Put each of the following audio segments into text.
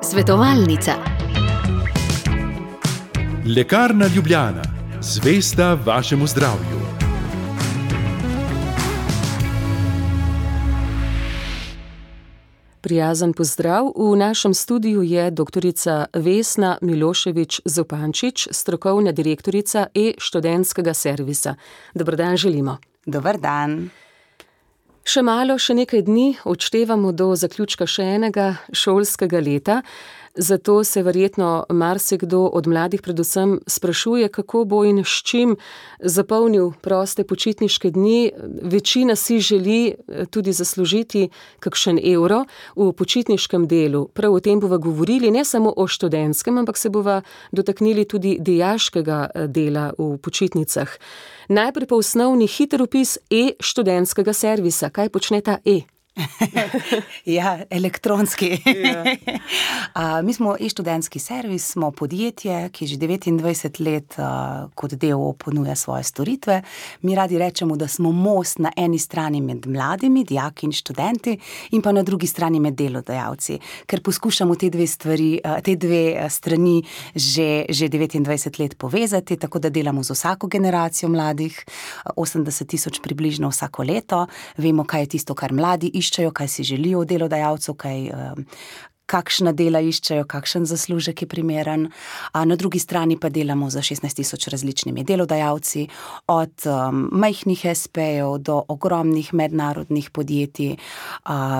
Svetovalnica. Lekarna Ljubljana, zvesta vašemu zdravju. Prijazen pozdrav. V našem studiu je doktorica Vesna Milošević-Zupančič, strokovna direktorica e-študentskega servisa. Dober dan želimo. Dober dan. Še malo, še nekaj dni odštevamo do zaključka še enega šolskega leta. Zato se verjetno marsikdo od mladih predvsem sprašuje, kako bo in s čim zapolnil proste počitniške dni. Večina si želi tudi zaslužiti kakšen evro v počitniškem delu. Prav o tem bova govorili ne samo o študentskem, ampak se bova dotaknili tudi dijaškega dela v počitnicah. Najprej pa osnovni hiter opis e-študentskega servisa. Kaj počne ta e? Ja, elektronski. Mi smo e-študentski servis, smo podjetje, ki že 29 let kot d.o.o. ponuja svoje storitve. Mi radi rečemo, da smo most na eni strani med mladimi, dijaki in študenti, in pa na drugi strani med delodajalci, ker poskušamo te dve strani že 29 let povezati, tako da delamo z vsako generacijo mladih, 80,000 približno vsako leto. Vemo, kaj je tisto, kar mladi iščejo, kaj si želijo od delodajalcev, kakšna dela iščejo, kakšen zaslužek je primeren. Na drugi strani pa delamo za 16,000 različnimi delodajalci, od majhnih SP-jev do ogromnih mednarodnih podjetij,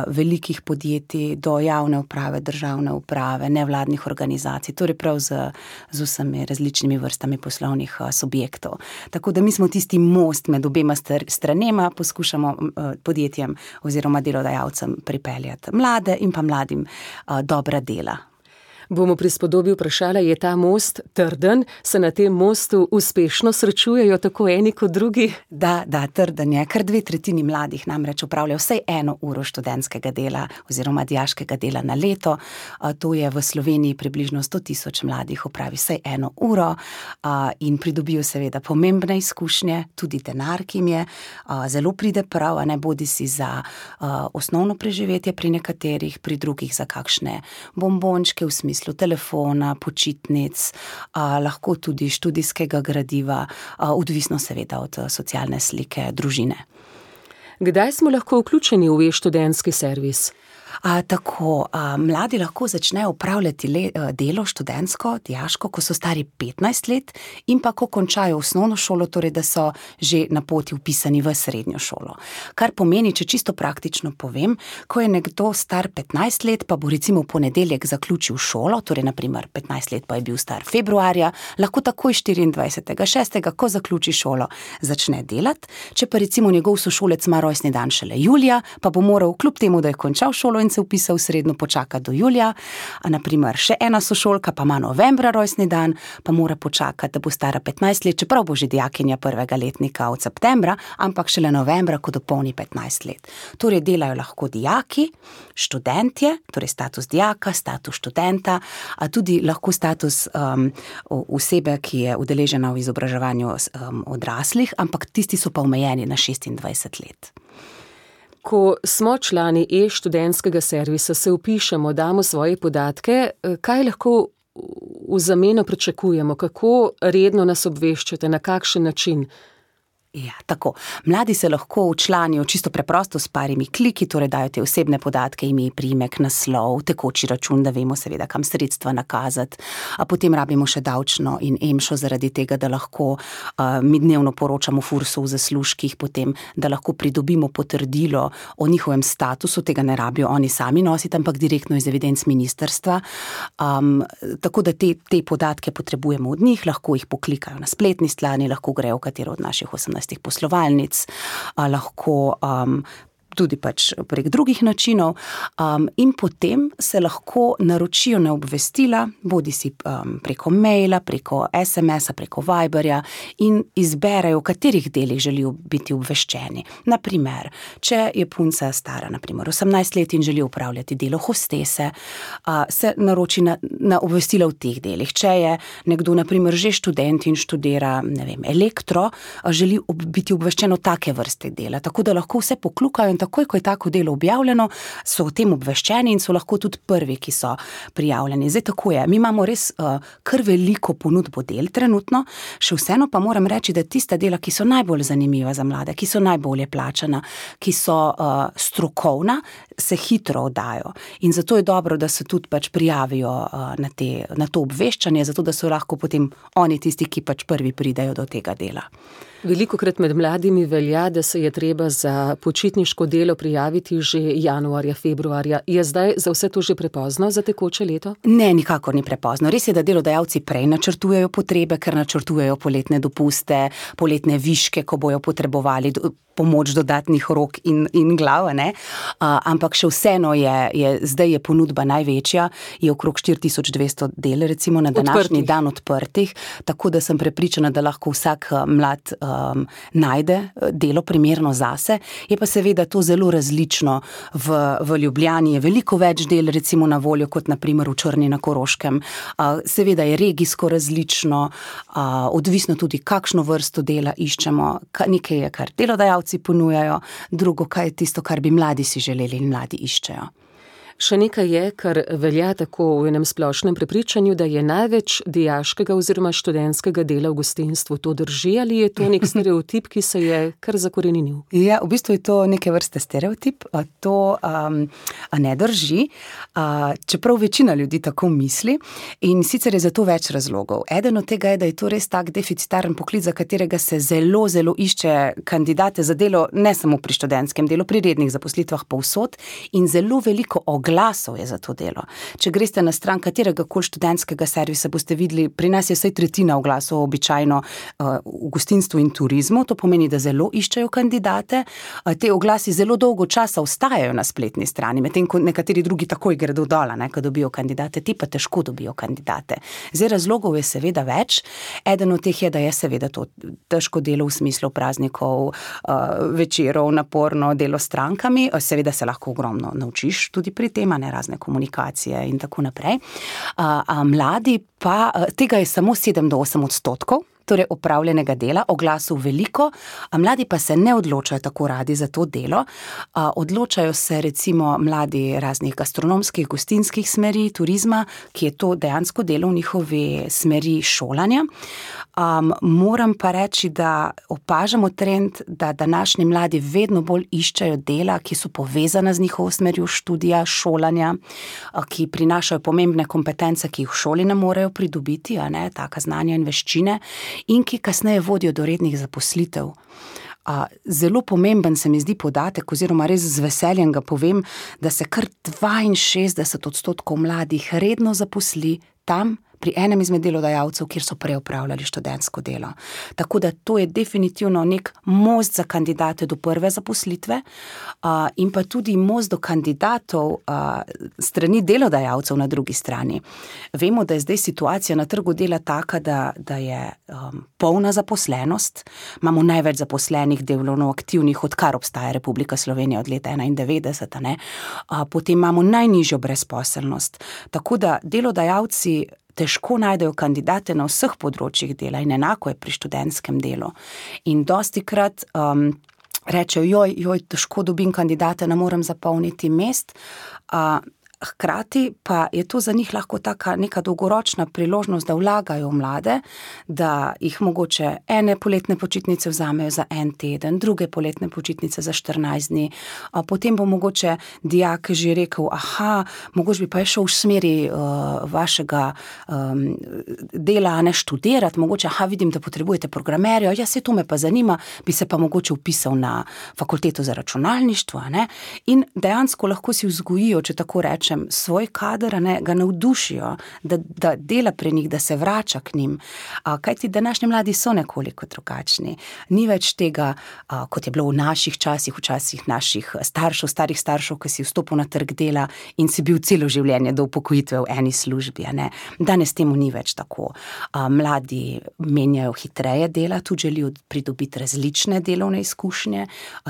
velikih podjetij do javne uprave, državne uprave, nevladnih organizacij, torej prav z vsemi različnimi vrstami poslovnih subjektov. Tako da mi smo tisti most med obema stranema, poskušamo podjetjem oziroma delodajalcem pripeljati mlade in pa mladim dobra dela. Bomo pri spodobi vprašala, je ta most trden? Se na tem mostu uspešno srečujejo tako eni kot drugi? Da, trden je. Kar 2/3 mladih namreč opravlja vsaj 1 uro študentskega dela oziroma dijaškega dela na leto. To je v Sloveniji približno 100,000 mladih opravi vsaj 1 uro in pridobijo seveda pomembne izkušnje, tudi denar, ki jim je zelo pride prav, a ne bodi si za osnovno preživetje pri nekaterih, pri drugih za kakšne bombončke v smislu telefona, počitnic, lahko tudi študijskega gradiva, odvisno seveda od socialne slike družine. Kdaj smo lahko vključeni v e-študentski servis? Mladi lahko začnejo opravljati delo študentsko, dijaško, ko so stari 15 let in pa ko končajo osnovno šolo, torej da so že na poti vpisani v srednjo šolo. Kar pomeni, če čisto praktično povem, ko je nekdo star 15 let, pa bo recimo v ponedeljek zaključil šolo, torej naprimer 15 let pa je bil star februarja, lahko takoj 24.6., ko zaključi šolo, začne delati. Če pa recimo njegov sošolec ima rojstni dan šele julija, pa bo moral kljub temu, da je končal šolo in se vpisal srednjo, počakati do julija. Naprimer, še ena sošolka pa ima novembra rojstni dan, pa mora počakati, da bo stara 15 let, čeprav bo že dijakinja prvega letnika od septembra, ampak šele novembra, ko dopolni 15 let. Torej delajo lahko dijaki, študentje, torej status dijaka, status študenta, a tudi lahko status osebe, ki je udeležena v izobraževanju odraslih, ampak tisti so pa omejeni na 26 let. Ko smo člani e-študentskega servisa, se vpišemo, damo svoje podatke, kaj lahko v zameno pričakujemo, kako redno nas obveščate, na kakšen način? Ja, tako. Mladi se lahko včlanijo čisto preprosto s parimi kliki, torej dajo te osebne podatke, ime, priimek, naslov, tekoči račun, da vemo seveda, kam sredstva nakazati. Potem rabimo še davčno in EMŠO zaradi tega, da lahko mi dnevno poročamo FURS-u v zaslužkih, potem, da lahko pridobimo potrdilo o njihovem statusu, tega ne rabijo oni sami nositi, ampak direktno iz evidenc ministrstva. Tako da te podatke potrebujemo od njih, lahko jih poklikajo na spletni strani, lahko grejo v katero od naših 18 poslovalnic, lahko tudi pač prek drugih načinov, in potem se lahko naročijo na obvestila, bodisi preko maila, preko SMS-a, preko Viberja in izberejo, v katerih delih želijo biti obveščeni. Naprimer, če je punca stara, naprimer 18 let in želi upravljati delo hostese, se naroči na obvestila v teh delih. Če je nekdo, naprimer, že študent in študira, ne vem, elektro, želi biti obveščen o take vrste dela, tako da lahko vse poklukajo in takoj, ko je tako delo objavljeno, so o tem obveščeni in so lahko tudi prvi, ki so prijavljeni. Zdaj tako je, mi imamo res kar veliko ponudbo del trenutno, še vseeno pa moram reči, da tista dela, ki so najbolj zanimiva za mlade, ki so najbolje plačana, ki so strokovna, se hitro oddajo. In zato je dobro, da se tudi pač prijavijo na to obveščanje, zato da so lahko potem oni tisti, ki pač prvi pridejo do tega dela. Velikokrat med mladimi velja, da se je treba za počitniško delo prijaviti že januarja, februarja. Je zdaj za vse to že prepozno za tekoče leto? Ne, nikakor ni prepozno. Res je, da delodajalci prej načrtujejo potrebe, ker načrtujejo poletne dopuste, poletne viške, ko bojo potrebovali pomoč dodatnih rok in glav, ne? Ampak še vseeno zdaj je ponudba največja, je okrog 4200 del, recimo na današnji dan odprtih, tako da sem prepričana, da lahko vsak mlad najde delo primerno zase. Je pa seveda to zelo različno. V Ljubljani je veliko več del recimo na voljo, kot na primer v Črni na Koroškem. Seveda je regijsko različno, odvisno tudi, kakšno vrsto dela iščemo. Nekaj je, kar delodajalci ponujajo, drugo, kaj je tisto, kar bi mladi si želeli in mladi iščejo. Še nekaj je, kar velja tako v enem splošnem prepričanju, da je največ dijaškega oziroma študentskega dela v gostinstvu. To drži ali je to nek stereotip, ki se je kar zakoreninil? Ja, v bistvu je to neke vrste stereotip. To ne drži, čeprav večina ljudi tako misli in sicer je za to več razlogov. Eden od tega je, da je to res tak deficitaren poklic, za katerega se zelo, zelo išče kandidate za delo, ne samo pri študentskem delu, pri rednih zaposlitvah povsod in zelo veliko oglasov je za to delo. Če greste na stran katerega koli študentskega servisa, boste videli, pri nas je vsaj tretjina oglasov običajno v gostinstvu in turizmu, to pomeni, da zelo iščejo kandidate. Te oglasi zelo dolgo časa ostajajo na spletni strani, medtem ko nekateri drugi takoj gredo dol, ko dobijo kandidate, ti pa težko dobijo kandidate. Zdaj razlogov je seveda več. Eden od teh je, da je seveda to težko delo v smislu praznikov, večerov, naporno delo s strankami, seveda se lahko ogromno naučiš tudi pri tema, ne, razne komunikacije in tako naprej. Mladi pa, tega je samo 7-8%, torej opravljenega dela, oglasov veliko, mladi pa se ne odločajo tako radi za to delo. Odločajo se recimo mladi raznih gastronomskih, gostinskih smeri, turizma, ki je to dejansko delo v njihovi smeri šolanja. Moram pa reči, da opažamo trend, da današnji mladi vedno bolj iščejo dela, ki so povezana z njihovo smerjo študija, šolanja, ki prinašajo pomembne kompetence, ki jih v šoli ne morejo pridobiti, taka znanja in veščine, in ki kasneje vodijo do rednih zaposlitev. Zelo pomemben se mi zdi podatek, oziroma res z veseljem ga povem, da se kar 62% mladih redno zaposli tam, pri enem izmed delodajalcev, kjer so prej opravljali študentsko delo. Tako da to je definitivno nek most za kandidate do prve zaposlitve in pa tudi most do kandidatov strani delodajalcev na drugi strani. Vemo, da je zdaj situacija na trgu dela taka, da je polna zaposlenost. Imamo največ zaposlenih delovno aktivnih, odkar obstaja Republika Slovenija od leta 1991, potem imamo najnižjo brezposelnost. Tako da delodajalci težko najdejo kandidate na vseh področjih dela in enako je pri študentskem delu. In dostikrat rečejo, težko dobim kandidate, ne morem zapolniti mest. Hkrati pa je to za njih lahko taka neka dolgoročna priložnost, da vlagajo v mlade, da jih mogoče ene poletne počitnice vzamejo za en teden, druge poletne počitnice za 14 dni, potem bo mogoče dijak že rekel, mogoče bi pa je šel v smeri vašega dela, ne študirati, mogoče, vidim, da potrebujete programerja, se to me pa zanima, bi se pa mogoče vpisal na fakulteto za računalništvo, ne? In dejansko lahko si vzgojijo, če tako rečem, svoj kader, ga navdušijo, da dela pri njih, da se vrača k njim. Kajti današnji mladi so nekoliko drugačni. Ni več tega, kot je bilo v naših časih, včasih naših starih staršev, ki si vstopil na trg dela in si bil celo življenje do upokojitve v eni službi. Danes temu ni več tako. Mladi menjajo hitreje dela, tudi želijo pridobiti različne delovne izkušnje,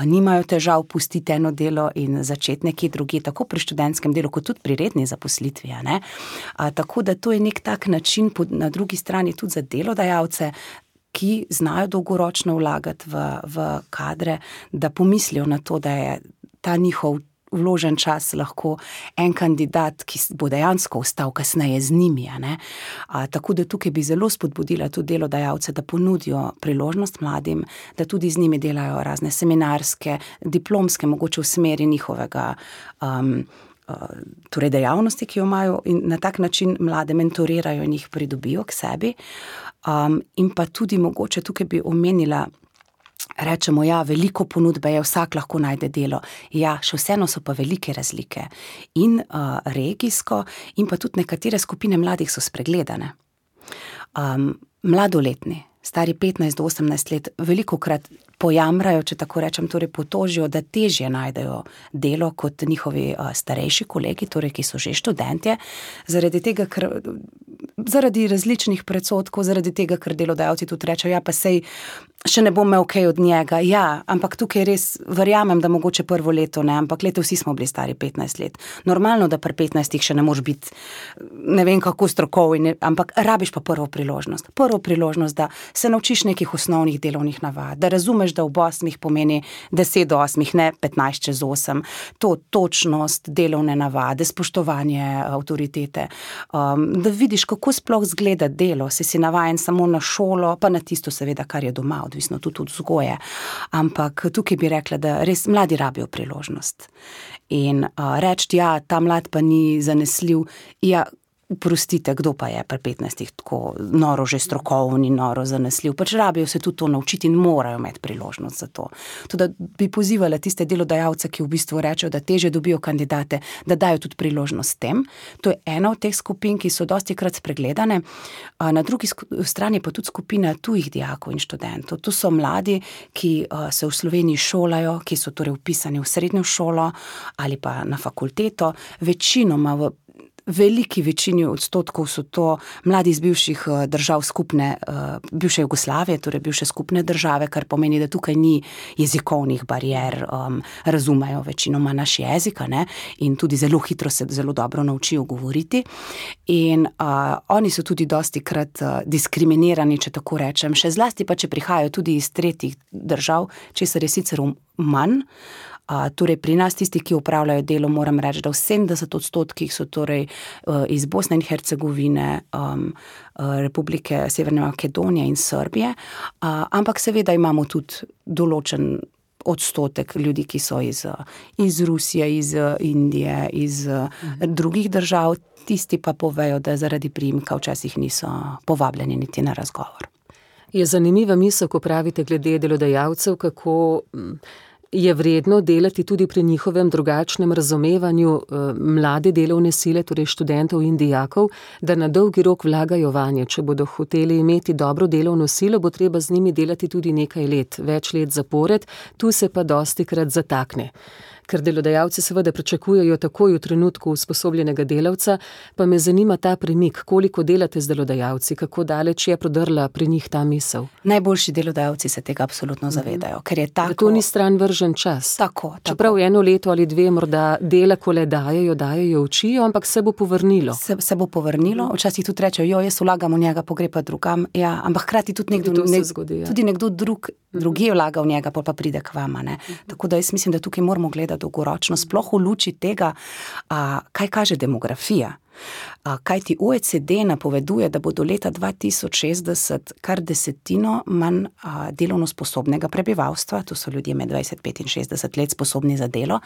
nimajo težav pustiti eno delo in začeti nekje drugje, tako pri študentskem delu, kot tudi pri redni zaposlitvi. Tako da to je nek tak način na drugi strani tudi za delodajalce, ki znajo dolgoročno vlagati v kadre, da pomislijo na to, da je ta njihov vložen čas lahko en kandidat, ki bo dejansko ostal kasneje z njimi. Tako da tukaj bi zelo spodbudila tudi delodajalce, da ponudijo priložnost mladim, da tudi z njimi delajo razne seminarske, diplomske, mogoče v smeri njihovega torej dejavnosti, ki jo imajo, in na tak način mlade mentorirajo in jih pridobijo k sebi. In pa tudi mogoče tukaj bi omenila, rečemo, ja, veliko ponudbe je, vsak lahko najde delo. Ja, še vseeno so pa velike razlike. In regijsko, in pa tudi nekatere skupine mladih so spregledane. Mladoletni, stari 15 do 18 let, velikokrat pojamrajo, če tako rečem, torej potožijo, da težje najdejo delo kot njihovi starejši kolegi, torej ki so že študentje, zaradi tega, ker zaradi različnih predsodkov, zaradi tega, ker delodajalci tudi rečejo, ja, pa sej še ne bom imel kaj od njega. Ja, ampak tukaj res verjamem, da mogoče prvo leto ne, ampak vsi smo bili stari 15 let. Normalno, da pri 15 še ne moreš biti ne vem kako strokovni, ampak rabiš pa prvo priložnost. Prvo priložnost, da se naučiš nekih osnovnih delovnih navad, da razumeš, da ob 8 pomeni 10 do 8, ne 15 čez 8. To točnost, delovne navade, spoštovanje avtoritete, da vidiš, kako sploh zgleda delo, si navajen samo na šolo, pa na tisto seveda, kar je doma, odvisno tudi od vzgoje. Ampak tukaj bi rekla, da res mladi rabijo priložnost. In reči, ja, ta mlad pa ni zanesljiv, ja, oprostite, kdo pa je pri 15 tako noro že strokovni, noro zanesljiv, pač rabijo se tudi to naučiti in morajo imeti priložnost za to. Tudi bi pozivala tiste delodajalce, ki v bistvu rečejo, da težje dobijo kandidate, da dajo tudi priložnost tem. To je ena od teh skupin, ki so dostikrat spregledane. Na drugi strani pa tudi skupina tujih dijakov in študentov. To so mladi, ki se v Sloveniji šolajo, ki so torej vpisani v srednjo šolo ali pa na fakulteto, večinoma v veliki večini odstotkov so to mladi iz bivših držav skupne, bivše Jugoslavije, torej bivše skupne države, kar pomeni, da tukaj ni jezikovnih barijer, razumejo večinoma naš jezik, in tudi zelo hitro se zelo dobro naučijo govoriti. In oni so tudi dostikrat diskriminirani, če tako rečem, še zlasti pa, če prihajajo tudi iz tretjih držav, česar je sicer manj. Torej pri nas tisti, ki upravljajo delo, moram reči, da v 70% so torej iz Bosne in Hercegovine, Republike Severne Makedonije in Srbije, ampak seveda imamo tudi določen odstotek ljudi, ki so iz Rusije, iz Indije, iz drugih držav, tisti pa povejo, da zaradi priimka včasih niso povabljeni niti na razgovor. Je zanimiva misel, ko pravite glede delodajalcev, kako je vredno delati tudi pri njihovem drugačnem razumevanju mlade delovne sile, torej študentov in dijakov, da na dolgi rok vlagajo vanje. Če bodo hoteli imeti dobro delovno silo, bo treba z njimi delati tudi nekaj let, več let zapored, tu se pa dostikrat zatakne. Ker delodajalci seveda pričakujejo takoj v trenutku usposobljenega delavca, pa me zanima ta premik, koliko delate z delodajalci, kako daleč je prodrla pri njih ta misel. Najboljši delodajalci se tega absolutno zavedajo, ker je tako. Da to ni stran vržen čas. Tako. Čeprav 1 leto ali 2 morda dela, ko le dajejo, učijo, ampak se bo povrnilo. Se bo povrnilo, včasih tudi rečejo, jaz vlagam v njega, pogrepa drugam, ja, ampak hkrati tudi nekdo drugi vlaga v njega, pa pride k vama. Tako da jaz mislim, da tukaj moramo gledati dolgoročno, sploh v luči tega, kaj kaže demografija. Kaj ti OECD napoveduje, da bo do leta 2060 kar 10% manj delovno sposobnega prebivalstva, to so ljudje med 25 in 60 let sposobni za delo,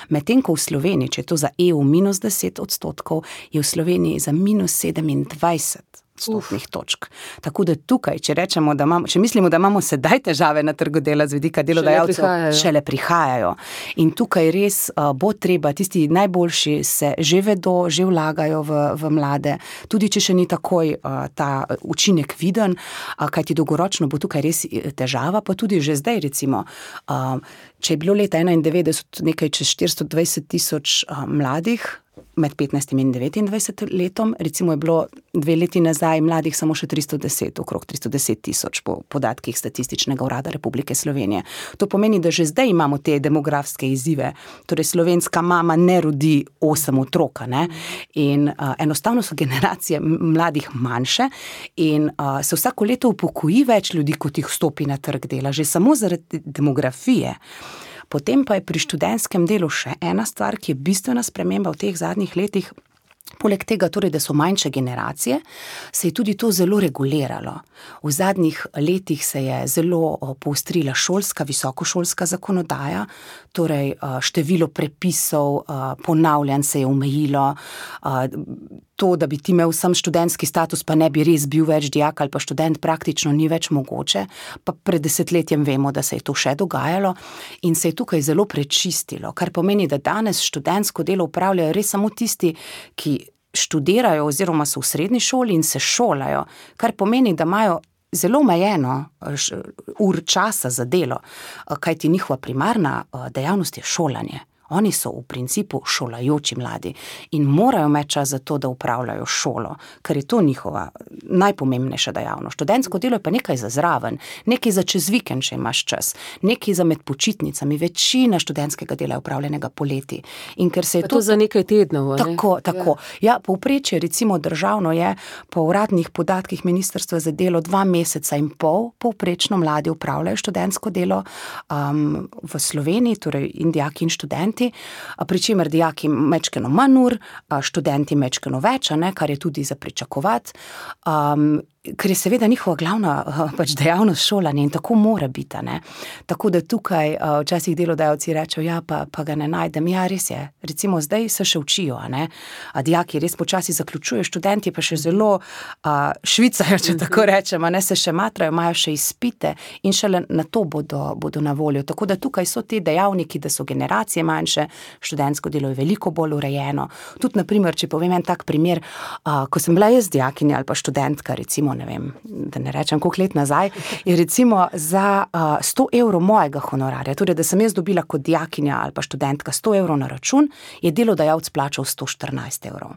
medtem ko v Sloveniji, če je to za EU -10%, je v Sloveniji za -27 odstotnih točk. Tako da tukaj, če mislimo, da imamo sedaj težave na trgu dela z vidika delodajalcev, šele prihajajo. In tukaj res bo treba, tisti najboljši se že vedo, že vlagajo v mlade, tudi če še ni takoj ta učinek viden, kajti dolgoročno bo tukaj res težava, pa tudi že zdaj recimo, če je bilo leta 1991 nekaj čez 420 tisoč mladih med 15 in 29 letom, recimo je bilo 2 leti nazaj mladih samo še 310, okrog 310 tisoč po podatkih Statističnega urada Republike Slovenije. To pomeni, da že zdaj imamo te demografske izzive, torej slovenska mama ne rodi 8 otroka, ne? In enostavno so generacije mladih manjše in se vsako leto upokoji več ljudi, kot jih vstopi na trg dela, že samo zaradi demografije. Potem pa je pri študentskem delu še ena stvar, ki je bistvena sprememba v teh zadnjih letih. Poleg tega, torej, da so manjše generacije, se je tudi to zelo reguliralo. V zadnjih letih se je zelo poostrila šolska, visokošolska zakonodaja, torej število prepisov, ponavljanj se je omejilo, to, da bi ti imel sam študentski status, pa ne bi res bil več dijak ali pa študent, praktično ni več mogoče, pa pred desetletjem vemo, da se je to še dogajalo in se je tukaj zelo prečistilo, kar pomeni, da danes študentsko delo upravljajo res samo tisti, ki študirajo oziroma so v srednji šoli in se šolajo, kar pomeni, da imajo zelo omejeno ur časa za delo, kajti njihova primarna dejavnost je šolanje. Oni so v principu šolajoči mladi in morajo imeti čas za to, da upravljajo šolo, ker je to njihova najpomembnejša dejavnost. Študentsko delo je pa nekaj za zraven, nekaj za čez vikend, če imaš čas, nekaj za med počitnicami. Večina študentskega dela je upravljenega poleti. In ker se je to za nekaj tednov, ne? Tako. Ja, povprečje recimo državno je po uradnih podatkih Ministrstva za delo 2,5 meseca povprečno mladi upravljajo študentsko delo v Sloveniji, torej in dijaki in študenti, pri čemer dijaki mečkeno manj ur, študenti mečkeno več, kar je tudi za pričakovati, ker je seveda njihova glavna dejavnost šolanje in tako mora biti, ne. Tako da tukaj včasih delodajalci rečejo, ja, pa ga ne najdem. Ja, res je. Recimo zdaj se še učijo, ne. Dijaki res počasi zaključujejo, študenti pa še zelo švicajo, če tako rečemo, ne, se še matrajo, imajo še izpite in šele na to bodo na voljo. Tako da tukaj so te dejavniki, da so generacije manjše, študentsko delo je veliko bolj urejeno. Tudi, na primer, če povem en tak primer, ko sem bila jaz dijakinja ali pa študentka, recimo, ne vem, da ne rečem koliko let nazaj, je recimo za 100 evrov mojega honorarja, torej da sem jaz dobila kot dijakinja ali pa študentka 100 evrov na račun, je delodajalec plačal 114 evrov.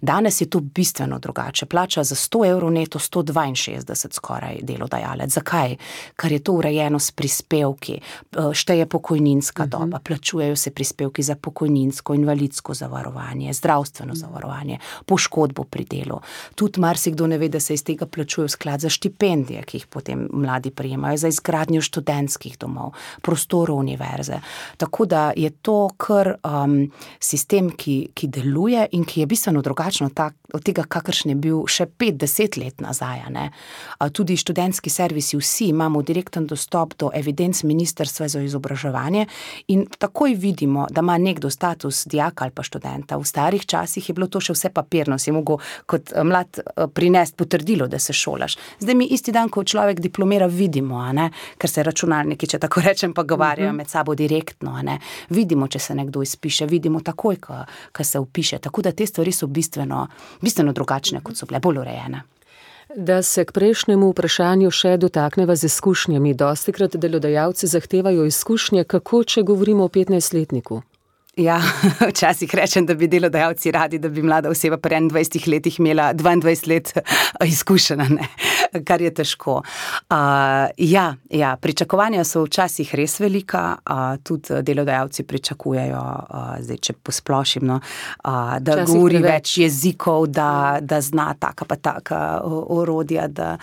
Danes je to bistveno drugače. Plača za 100 evrov neto 162 skoraj delodajalec. Zakaj? Ker je to urejeno s prispevki, šteje pokojninska doba, plačujejo se prispevki za pokojninsko, invalidsko zavarovanje, zdravstveno zavarovanje, poškodbo pri delu. Tudi marsikdo ne ve, da se iz tega plačuje v sklad za štipendije, ki jih potem mladi prejemajo, za izgradnjo študentskih domov, prostorov univerze. Tako da je to kar sistem, ki deluje in ki je bistveno drugačno od tega, kakršen je bil še 5-10 let nazaj, ne. Tudi študentski servisi, vsi imamo direkten dostop do evidenc Ministrstva za izobraževanje in takoj vidimo, da ima nekdo status dijaka ali pa študenta. V starih časih je bilo to še vse papirno, si mogel kot mlad prinesti potrdilo, da se šolaš. Zdaj mi isti dan, ko človek diplomira, vidimo, ne, ker se računalniki, če tako rečem, pogovarjajo med sabo direktno, ne. Vidimo, če se nekdo izpiše, vidimo takoj, ko se vpiše. Tako da te stvari so bistveno drugačne, kot so bile, bolj urejene. Da se k prejšnjemu vprašanju še dotakneva z izkušnjami. Dostikrat delodajalci zahtevajo izkušnje, kako, če govorimo o 15-letniku? Ja, včasih rečem, da bi delodajalci radi, da bi mlada oseba pri 21 letih imela 22 let izkušena, ne, kar je težko. Ja, pričakovanja so včasih res velika, tudi delodajalci pričakujejo, zdaj, če posplošim, no, da včasih govori več jezikov, da zna taka pa taka orodja, da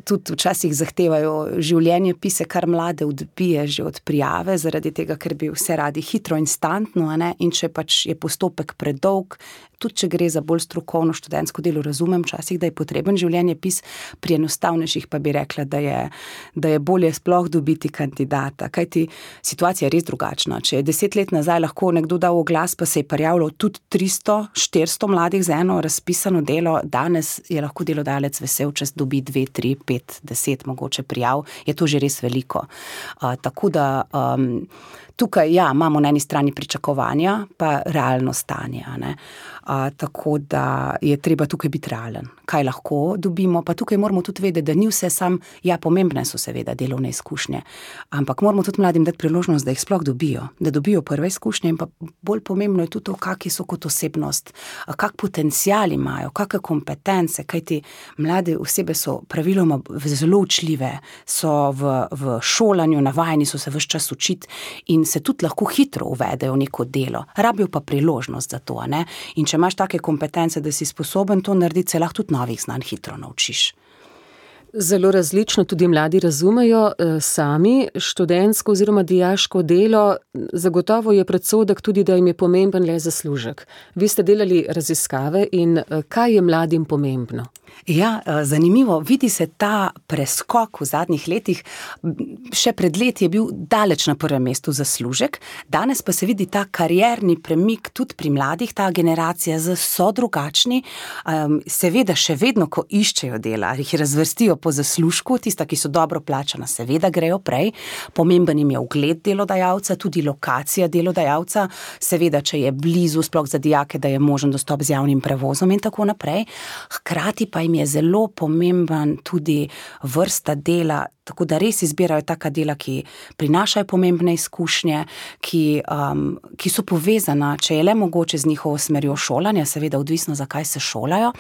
tudi včasih zahtevajo življenjepise, kar mlade odbije že od prijave, zaradi tega, ker bi vse radi hitro, instantno, ne? In če pač je postopek predolg, tudi če gre za bolj strokovno študentsko delo, razumem včasih, da je potreben življenjepis, pri enostavnejših pa bi rekla, da je bolje sploh dobiti kandidata, kajti situacija je res drugačna. Če je 10 let nazaj lahko nekdo dal oglas, pa se je prijavilo tudi 300-400 mladih za eno razpisano delo, danes je lahko delodajalec vesel, če mesec dobi 2, 3, 5, 10 mogoče prijav, je to že res veliko. Tako da tukaj, imamo na eni strani pričakovanja, pa realno stanje, ne. Tako da je treba tukaj biti realen. Kaj lahko dobimo, pa tukaj moramo tudi vedeti, da ni vse pomembne so seveda delovne izkušnje, ampak moramo tudi mladim dati priložnost, da jih sploh dobijo, da dobijo prve izkušnje in pa bolj pomembno je tudi to, kakšni so kot osebnost, kak potencial imajo, kakšne kompetence, kajti mlade osebe so praviloma zelo učljive, so v šolanju, navajeni so se ves čas učiti in se tudi lahko hitro uvedejo v neko delo, rabijo pa priložnost za to, ne? In če imaš take kompetence, da si sposoben to narediti, se lahko tudi novih znanj hitro naučiš. Zelo različno tudi mladi razumejo sami študentsko oziroma dijaško delo. Zagotovo je predsodek tudi, da jim je pomemben le zaslužek. Vi ste delali raziskave in kaj je mladim pomembno? Ja, zanimivo, vidi se ta preskok v zadnjih letih, še pred leti je bil daleč na prvem mestu zaslužek, danes pa se vidi ta karierni premik tudi pri mladih, ta generacija so drugačni, seveda še vedno, ko iščejo dela, jih razvrstijo po zaslužku, tista, ki so dobro plačana, seveda grejo prej, pomemben jim je ugled delodajalca, tudi lokacija delodajalca, seveda, če je blizu, sploh za dijake, da je možen dostop z javnim prevozom in tako naprej, hkrati pa jim je zelo pomemben tudi vrsta dela, tako da res izbirajo taka dela, ki prinašajo pomembne izkušnje, ki so povezana, če je le mogoče z njihovo smerjo šolanja, seveda odvisno, zakaj se šolajo,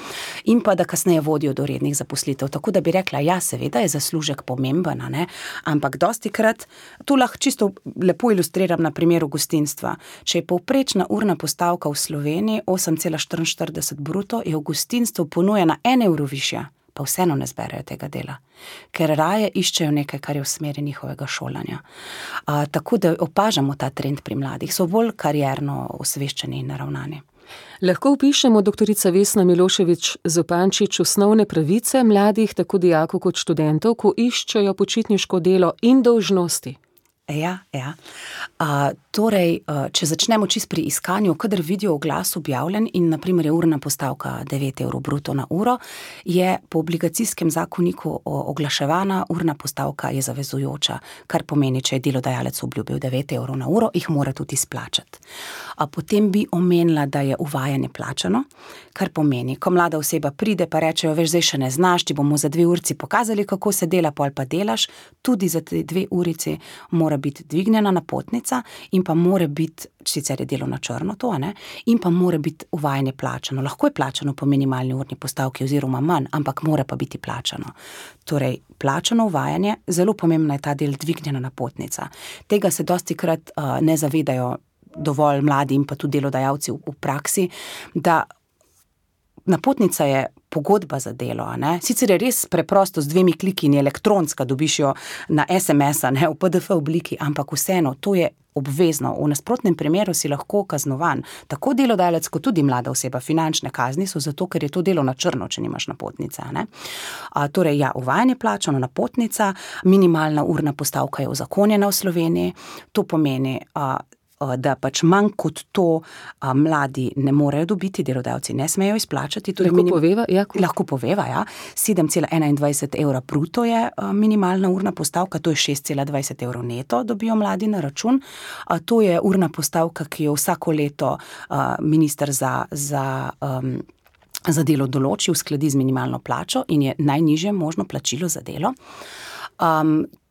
in pa da kasneje vodijo do rednih zaposlitev. Tako da bi rekla, ja, seveda je zaslužek pomemben, ne? Ampak dostikrat, to lahko čisto lepo ilustriram na primeru gostinstva. Če je povprečna urna postavka v Sloveniji 8,44 bruto, je v gostinstvu ponujena 1 evro višja, pa vseeno ne zberejo tega dela, ker raje iščejo nekaj, kar je v smeri njihovega šolanja. Tako da opažamo ta trend pri mladih, so bolj karierno osveščeni in naravnani. Lahko opišemo, doktorica Vesna Milošević Zupančič, osnovne pravice mladih, tako dijakov kot študentov, ko iščejo počitniško delo in dolžnosti? Ja. Torej, če začnemo čisto pri iskanju, kadar vidijo oglas objavljen in na primer je urna postavka 9 evrov bruto na uro, je po obligacijskem zakoniku oglaševana urna postavka je zavezujoča, kar pomeni, če je delodajalec obljubil 9 evrov na uro, jih mora tudi izplačati. Potem bi omenila, da je uvajanje plačano, kar pomeni, ko mlada oseba pride, pa rečejo, veš, zdaj še ne znaš, ti bomo za 2 urici pokazali, kako se dela, pol pa delaš, tudi za 2 urici mora biti dvignjena napotnica in pa mora biti, sicer je delo na črno to, ne, in pa mora biti uvajanje plačano. Lahko je plačano po minimalni urni postavki oziroma manj, ampak mora pa biti plačano. Torej, plačano uvajanje, zelo pomembna je ta del dvignjena napotnica. Tega se dostikrat ne zavedajo dovolj mladi in pa tudi delodajalci v praksi, da napotnica je pogodba za delo, ne? Sicer je res preprosto z 2 kliki in elektronska, dobiš jo na SMS-a, ne, v PDF obliki, ampak vseeno, to je obvezno. V nasprotnem primeru si lahko kaznovan. Tako delodajalec, kot tudi mlada oseba, finančne kazni so zato, ker je to delo na črno, če nimaš napotnice, ne. Torej, ja, uvajanje plačano, napotnica, minimalna urna postavka je uzakonjena v Sloveniji, to pomeni, da pač manj kot to mladi ne morejo dobiti, delodajalci ne smejo izplačati. Lahko poveva, ja. 7,21 evra bruto je minimalna urna postavka, to je 6,20 evrov neto dobijo mladi na račun. To je urna postavka, ki jo vsako leto minister za delo določi, uskladi z minimalno plačo in je najnižje možno plačilo za delo.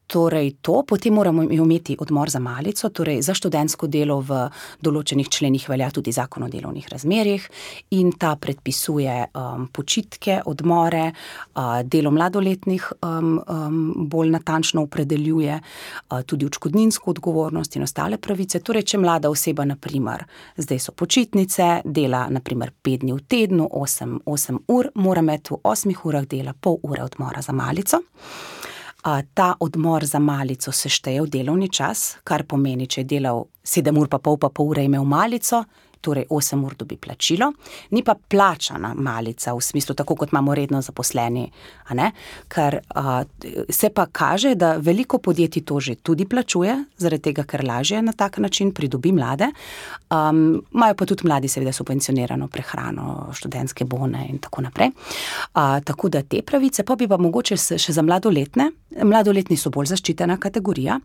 Torej to, potem moramo imeti odmor za malico, torej za študentsko delo v določenih členih velja tudi zakon o delovnih razmerjih in ta predpisuje počitke, odmore, delo mladoletnih bolj natančno opredeljuje, tudi odškodninsko odgovornost in ostale pravice. Torej, če mlada oseba, na primer, zdaj so počitnice, dela na primer 5 dni v tednu, 8 ur, mora imeti v 8 urah dela pol ure odmora za malico. Ta odmor za malico se šteje v delovni čas, kar pomeni, če je delal 7 ur pa pol ure imel malico, torej 8 ur dobi plačilo, ni pa plačana malica v smislu, tako kot imamo redno zaposleni, a ne? Ker se pa kaže, da veliko podjetij to že tudi plačuje, zaradi tega, ker lažje na tak način pridobi mlade. Imajo pa tudi mladi seveda subvencionirano prehrano, študentske bone in tako naprej. Tako da te pravice, pa bi pa mogoče še za mladoletne. Mladoletni so bolj zaščitena kategorija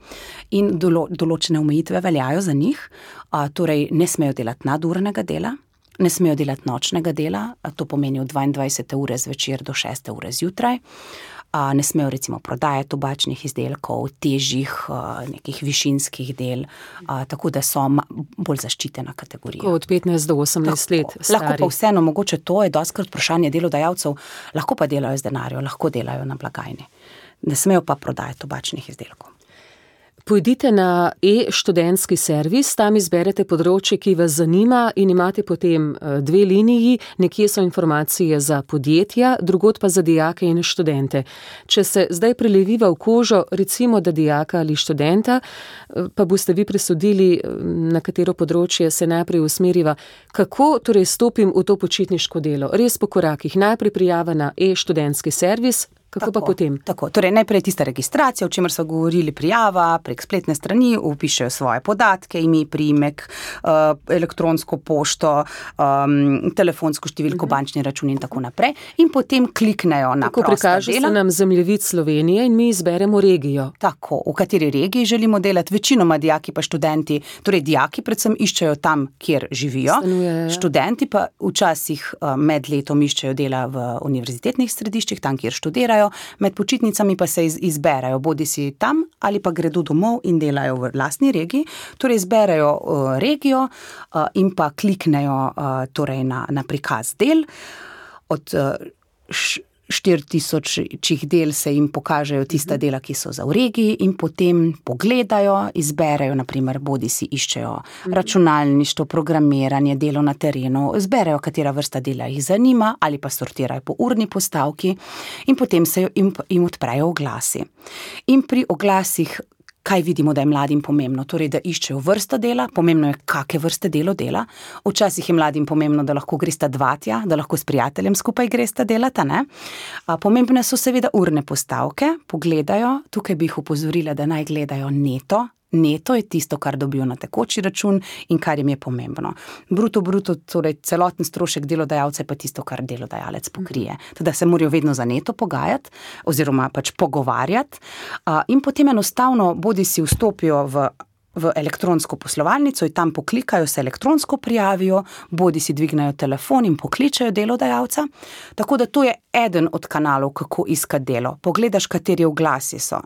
in določene omejitve veljajo za njih. Torej ne smejo delati nadurnega dela, ne smejo delati nočnega dela, to pomeni od 22. ure zvečer do 6. ure zjutraj. Ne smejo recimo prodajati tobačnih izdelkov, težjih, nekih višinskih del, tako da so bolj zaščitena kategorija. Od 15 do 18 let stari. Lahko pa vseeno, mogoče to je dostikrat vprašanje delodajalcev, lahko pa delajo z denarjem, lahko delajo na blagajni. Ne smejo pa prodajati tobačnih izdelkov. Pojdite na e-študentski servis, tam izberete področje, ki vas zanima in imate potem 2 liniji, nekje so informacije za podjetja, drugod pa za dijake in študente. Če se zdaj preleviva v kožo, recimo da dijaka ali študenta, pa boste vi presodili, na katero področje se najprej usmeriva. Kako torej stopim v to počitniško delo? Res po korakih, najprej prijava na e-študentski servis, kako pa potem? Tako, torej najprej tista registracija, o čemer so govorili, prijava, prek spletne strani, vpišejo svoje podatke, ime, priimek, elektronsko pošto, telefonsko številko, bančni račun in tako naprej. In potem kliknejo na prosta dela. Tako prikaže se nam zemljevid Slovenije in mi izberemo regijo. Tako, v kateri regiji želimo delati, večinoma dijaki pa študenti, torej dijaki predvsem iščejo tam, kjer živijo. Stanujejo. Študenti pa včasih med letom iščejo dela v univerzitetnih središčih, tam, kjer študirajo. Med počitnicami pa se izberajo, bodi si tam ali pa gredo domov in delajo v lastni regiji. Torej izberajo regijo in pa kliknejo torej na prikaz del. Od 4000 del se jim pokažejo tista dela, ki so za v regiji in potem pogledajo, izberejo, naprimer, bodi si iščejo računalništvo, programiranje, delo na terenu, izberejo, katera vrsta dela jih zanima ali pa sortirajo po urni postavki in potem se jim odprejo oglasi. In pri oglasih kaj vidimo, da je mladim pomembno? Torej, da iščejo vrsto dela, pomembno je, kake vrste delo dela. Včasih je mladim pomembno, da lahko gresta dva tja, da lahko s prijateljem skupaj gresta delata, ne? Pomembne so seveda urne postavke, pogledajo, tukaj bi jih opozorila, da naj gledajo neto. Neto je tisto, kar dobijo na tekoči račun in kar jim je pomembno. Bruto, torej celoten strošek delodajalca je pa tisto, kar delodajalec pokrije. Teda se morajo vedno za neto pogajati oziroma pač pogovarjati in potem enostavno bodi si vstopijo v elektronsko poslovalnico in tam poklikajo, se elektronsko prijavijo, bodi si dvignejo telefon in pokličejo delodajalca. Tako da to je eden od kanalov, kako iskati delo. Pogledaš, kateri oglasi so.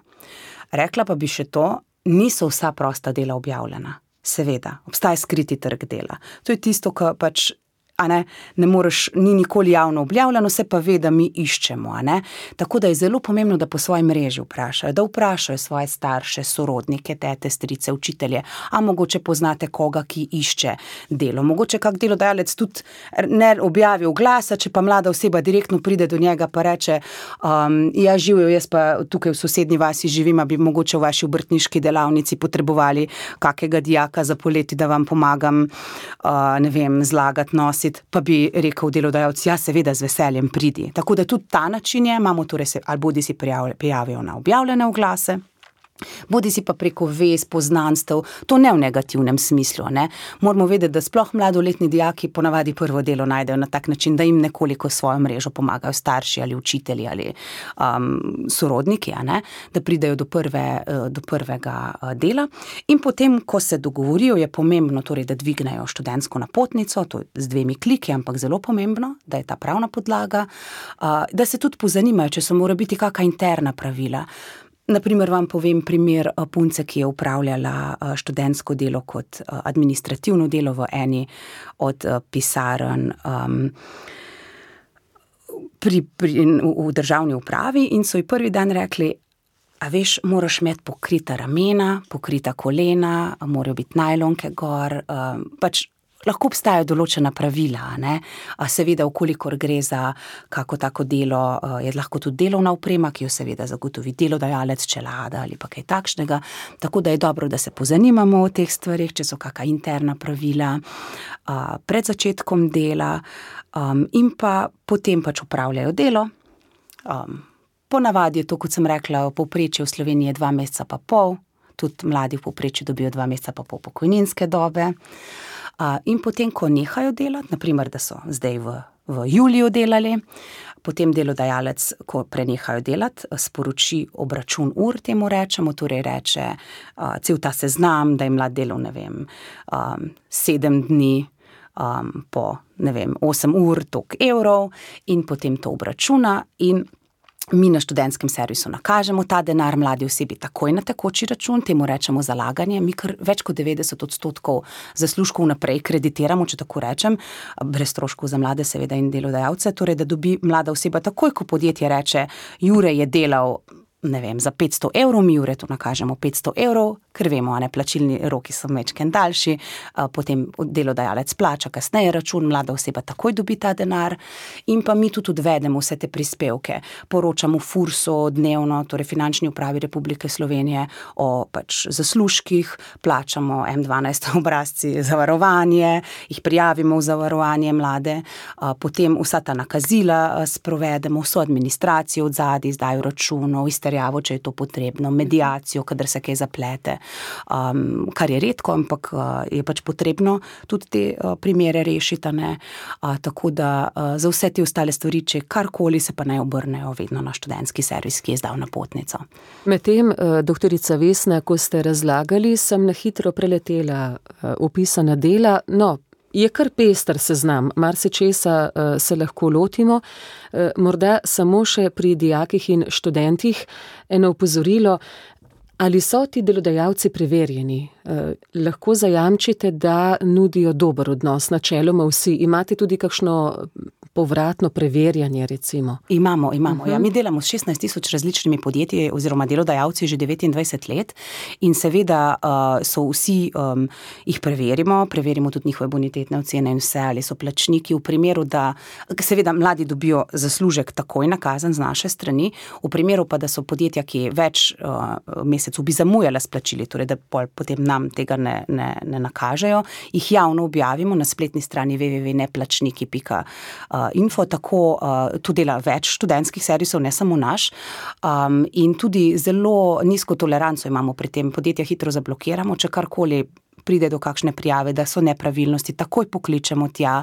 Rekla pa bi še to, niso vsa prosta dela objavljena. Seveda, obstaja skriti trg dela. To je tisto, kar pač ne moreš, ni nikoli javno objavljeno, se pa ve, da mi iščemo, Tako da je zelo pomembno, da po svoji mreži vprašajo, da vprašajo svoje starše, sorodnike, tete, strice, učitelje, a mogoče poznate koga, ki išče delo. Mogoče kak delodajalec tudi ne objavi oglasa, če pa mlada oseba direktno pride do njega pa reče, ja, živijo, jaz pa tukaj v sosednji vasi živim, a bi mogoče v vaši obrtniški delavnici potrebovali kakega dijaka za poleti, da vam pomagam, ne vem, zlagati, nositi, pa bi rekel delodajalec, ja, seveda z veseljem pridi. Tako da tudi ta način je, imamo torej se, ali bodi si prijavijo na objavljene oglase, bodi si pa preko vez, poznanstev, to ne v negativnem smislu, Moramo vedeti, da sploh mladoletni dijaki ponavadi prvo delo najdejo na tak način, da jim nekoliko svojo mrežo pomagajo starši ali učitelji ali sorodniki, da pridejo do prvega dela. In potem, ko se dogovorijo, je pomembno torej, da dvignejo študentsko napotnico, to je z 2 kliki, ampak zelo pomembno, da je ta pravna podlaga, da se tudi pozanimajo, če so mora biti kakšna interna pravila. Naprimer vam povem primer punce, ki je upravljala študentsko delo kot administrativno delo v eni od pisarn v državni upravi in so ji prvi dan rekli, a veš, moraš imeti pokrita ramena, pokrita kolena, morajo biti najlonke gor, pač lahko obstajajo določena pravila, ne. Seveda, vkolikor gre za kako tako delo, je lahko tudi delovna oprema, ki jo seveda zagotovi delodajalec, čelada ali pa kaj takšnega, tako da je dobro, da se pozanimamo o teh stvarih, če so kaka interna pravila, pred začetkom dela, in pa potem pač opravljajo delo. Ponavadi je to, kot sem rekla, v povprečju v Sloveniji 2 meseca pa pol, tudi mladi v povprečju dobijo 2 meseca pa pol pokojninske dobe. In potem, ko nehajo delati, naprimer, da so zdaj v juliju delali, potem delodajalec, ko prenehajo delati, sporoči obračun ur, temu rečemo, torej reče cel ta seznam, da je mlad delal, 7 dni, po, 8 ur, toliko evrov, in potem to obračuna in mi na študentskem servisu nakažemo ta denar mladi osebi takoj na tekoči račun, temu rečemo zalaganje, mi kar več kot 90% zaslužkov naprej kreditiramo, če tako rečem, brez stroškov za mlade seveda in delodajalce, torej da dobi mlada oseba takoj, ko podjetje reče, Jure je delal, za 500 evrov, mi Jure to nakažemo 500 evrov, ker vemo, plačilni roki so majčkeno daljši, potem delodajalec plača kasneje račun, mlada oseba takoj dobi ta denar in pa mi tudi odvedemo vse te prispevke, poročamo FURS-u dnevno, torej Finančni upravi Republike Slovenije o pač zaslužkih, plačamo M12 obrazci zavarovanje, jih prijavimo v zavarovanje mlade, potem vsa ta nakazila sprovedemo, vso administracijo odzadaj, izdajo računov, izterjavo, če je to potrebno, mediacijo, kadar se kaj zaplete, kar je redko, ampak je pač potrebno tudi te primere rešiti, ne. Tako da za vse te ostale stvari, če karkoli, se pa naj obrnejo vedno na študentski servis, ki je izdal napotnico. Medtem, doktorica Vesna, ko ste razlagali, sem na hitro preletela opisana dela, je kar pester seznam, marsičesa se lahko lotimo, morda samo še pri dijakih in študentih eno opozorilo, ali so ti delodajalci preverjeni? Lahko zajamčite, da nudijo dober odnos, načeloma vsi. Imate tudi kakšno povratno preverjanje, recimo? Imamo. Ja, mi delamo s 16 tisoč različnimi podjetji oziroma delodajalci že 29 let in seveda so vsi, jih preverimo tudi njihove bonitetne ocene in vse, ali so plačniki v primeru, da seveda mladi dobijo zaslužek takoj nakazan z naše strani, v primeru pa, da so podjetja, ki več mesecev bi zamujala s plačili, torej da potem nam tega ne nakažejo, jih javno objavimo na spletni strani www.neplačniki.info, tako tu dela več študentskih servisov, ne samo naš, in tudi zelo nizko toleranco imamo pri tem, podjetja hitro zablokiramo, če karkoli pride do kakšne prijave, da so nepravilnosti, takoj pokličemo tja,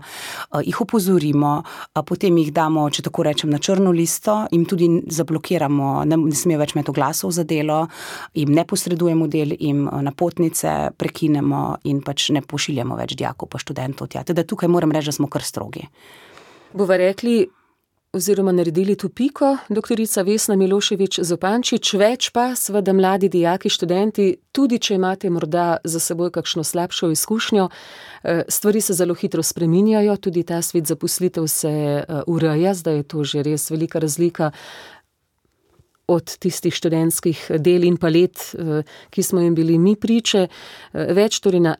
jih opozorimo, potem jih damo, če tako rečem, na črno listo, jim tudi zablokiramo, ne smejo več imeti oglasov za delo, jim ne posredujemo del, jim napotnice prekinemo in pač ne pošiljamo več dijakov pa študentov tja. Teda tukaj moram reči, da smo kar strogi. Bova rekli, oziroma naredili tu piko, doktorica Vesna Milošević Zupančič, več pa seveda mladi dijaki, študenti, tudi če imate morda za seboj kakšno slabšo izkušnjo, stvari se zelo hitro spreminjajo, tudi ta svet zaposlitev se ureja, zdaj je to že res velika razlika od tistih študentskih del in palet, ki smo jim bili mi priče, več torej na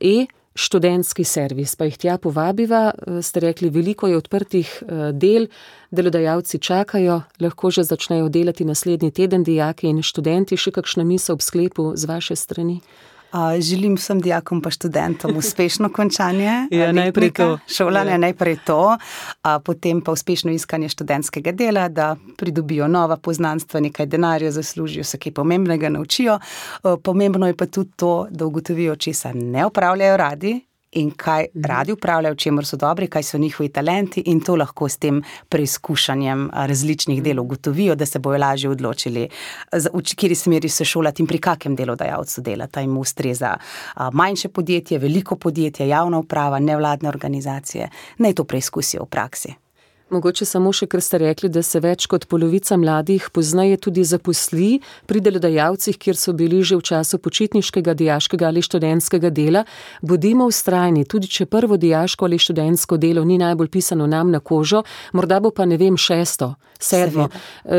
študentski servis, pa jih tja povabiva, ste rekli, veliko je odprtih del, delodajalci čakajo, lahko že začnejo delati naslednji teden dijaki in študenti, še kakšna misel ob sklepu z vaše strani? Želim vsem dijakom pa študentom uspešno končanje najprej to. Šolanja, najprej to, potem pa uspešno iskanje študentskega dela, da pridobijo nova poznanstva, nekaj denarja zaslužijo, se kaj pomembnega naučijo. Pomembno je pa tudi to, da ugotovijo, česa ne opravljajo radi in kaj radi upravljajo, v čemer so dobri, kaj so njihovi talenti in to lahko s tem preizkušanjem različnih delov ugotovijo, da se bojo lažje odločili, v kateri smeri se šolati in pri kakem delodajalcu delati, jim ustreza manjše podjetje, veliko podjetje, javna uprava, nevladne organizacije, naj to preizkusijo v praksi. Mogoče samo še, ker ste rekli, da se več kot polovica mladih pozneje tudi zaposli pri delodajalcih, kjer so bili že v času počitniškega, dijaškega ali študentskega dela. Bodimo vztrajni, tudi če prvo dijaško ali študentsko delo ni najbolj pisano nam na kožo, morda bo pa, 6., 7.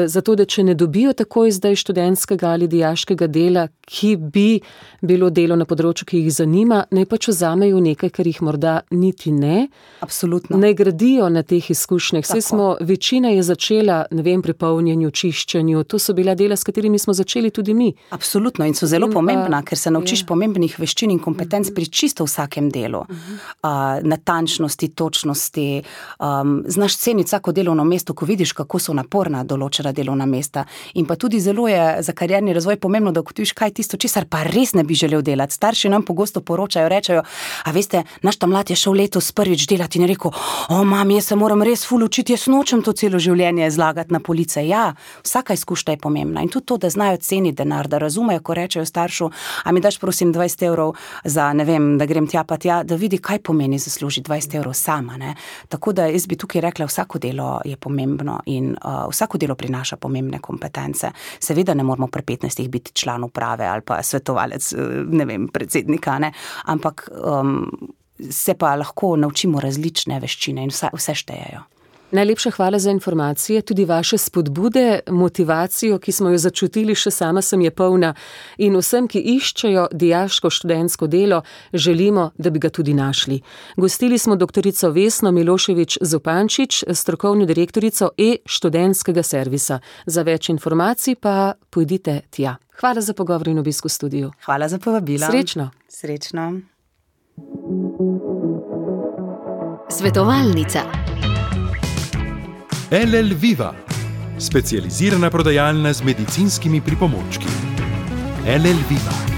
Zato, da če ne dobijo takoj zdaj študentskega ali dijaškega dela, ki bi bilo delo na področju, ki jih zanima, naj pač vzamejo nekaj, kar jih morda niti ne. Absolutno. Naj gradijo na teh izkušnjah. Večina je začela, pri polnjenju, čiščenju, to so bila dela, s katerimi smo začeli tudi mi. Absolutno in so zelo pomembna, ker se naučiš pomembnih veščin in kompetenc pri čisto vsakem delu. Natančnosti, točnosti, znaš ceniti vsako delovno mesto, ko vidiš, kako so naporna določena delovna mesta. In pa tudi zelo je za karierni razvoj pomembno, da ugotoviš, kaj je tisto, česar pa res ne bi želel delati. Starši nam pogosto poročajo, rečejo, a veste, naš ta mlad je šel letos prvič delati in je rekel, mami, jaz se moram res ful učiti, jaz nočem to celo življenje zlagati na police. Ja, vsaka izkušnja je pomembna in tudi to, da znajo ceniti denar, da razumejo, ko rečejo staršu, a mi daš prosim 20 € za, da grem tja pa tja, da vidi, kaj pomeni zaslužiti 20 € sama, ne. Tako da jaz bi tukaj rekla, vsako delo je pomembno in vsako delo prinaša pomembne kompetence. Seveda ne moramo pri 15 biti član uprave ali pa svetovalec, predsednika, ne, ampak se pa lahko naučimo različne veščine in vse štejejo. Najlepša hvala za informacije, tudi vaše spodbude, motivacijo, ki smo jo začutili, še sama sem je polna, in vsem, ki iščejo dijaško študentsko delo, želimo, da bi ga tudi našli. Gostili smo doktorico Vesno Milošević Zupančič, strokovno direktorico študentskega servisa. Za več informacij pa pojdite tja. Hvala za pogovor in obisk v studiu. Hvala za povabilo. Srečno. Srečno. Svetovalnica. LL Viva, specializirana prodajalna z medicinskimi pripomočki. LL Viva.